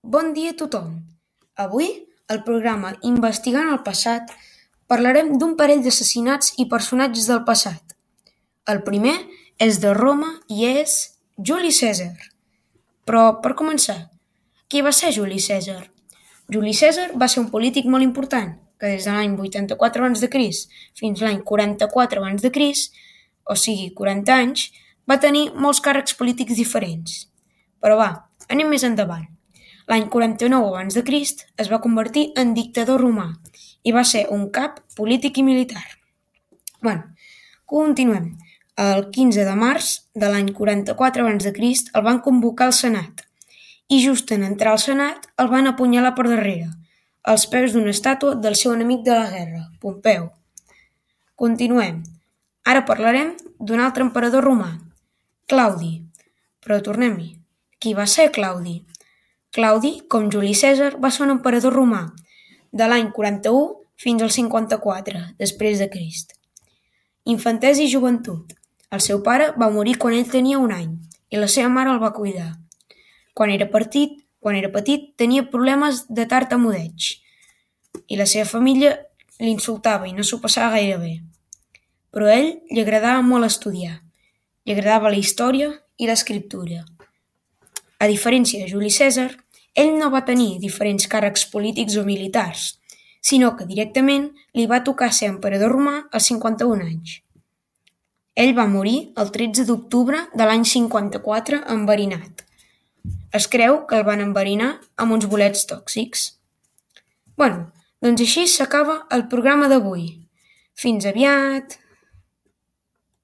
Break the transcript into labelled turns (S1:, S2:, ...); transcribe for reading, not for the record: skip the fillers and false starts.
S1: Bon dia a tothom. Avui, al programa Investigant el passat, parlarem d'un parell d'assassinats i personatges del passat. El primer és de Roma i és Juli Cèsar. Però, per començar, qui va ser Juli Cèsar? Juli Cèsar va ser un polític molt important, que des de l'any 84 a.C. fins l'any 44 a.C., o sigui, 40 anys, va tenir molts càrrecs polítics diferents. Però va, anem més endavant. L'any 49 a.C. es va convertir en dictador romà i va ser un cap polític i militar. Continuem. El 15 de març de l'any 44 a.C. el van convocar al Senat i just en entrar al Senat el van apunyalar per darrere, als peus d'una estàtua del seu enemic de la guerra, Pompeu. Continuem. Ara parlarem d'un altre emperador romà, Claudi. Però tornem-hi. Qui va ser Claudi? Claudi, com Juli Cèsar, va ser un emperador romà de l'any 41 fins al 54 després de Crist. Infantesa i joventut. El seu pare va morir quan ell tenia 1 any i la seva mare el va cuidar. Quan era petit tenia problemes de tartamudeig i la seva família l'insultava i no s'ho passava gaire bé. Però a ell li agradava molt estudiar. Li agradava la història i l'escriptura. A diferència de Juli Cèsar, ell no va tenir diferents càrrecs polítics o militars, sinó que directament li va tocar ser emperador romà als 51 anys. Ell va morir el 13 d'octubre de l'any 54 enverinat. Es creu que el van enverinar amb uns bolets tòxics. Doncs així s'acaba el programa d'avui. Fins aviat!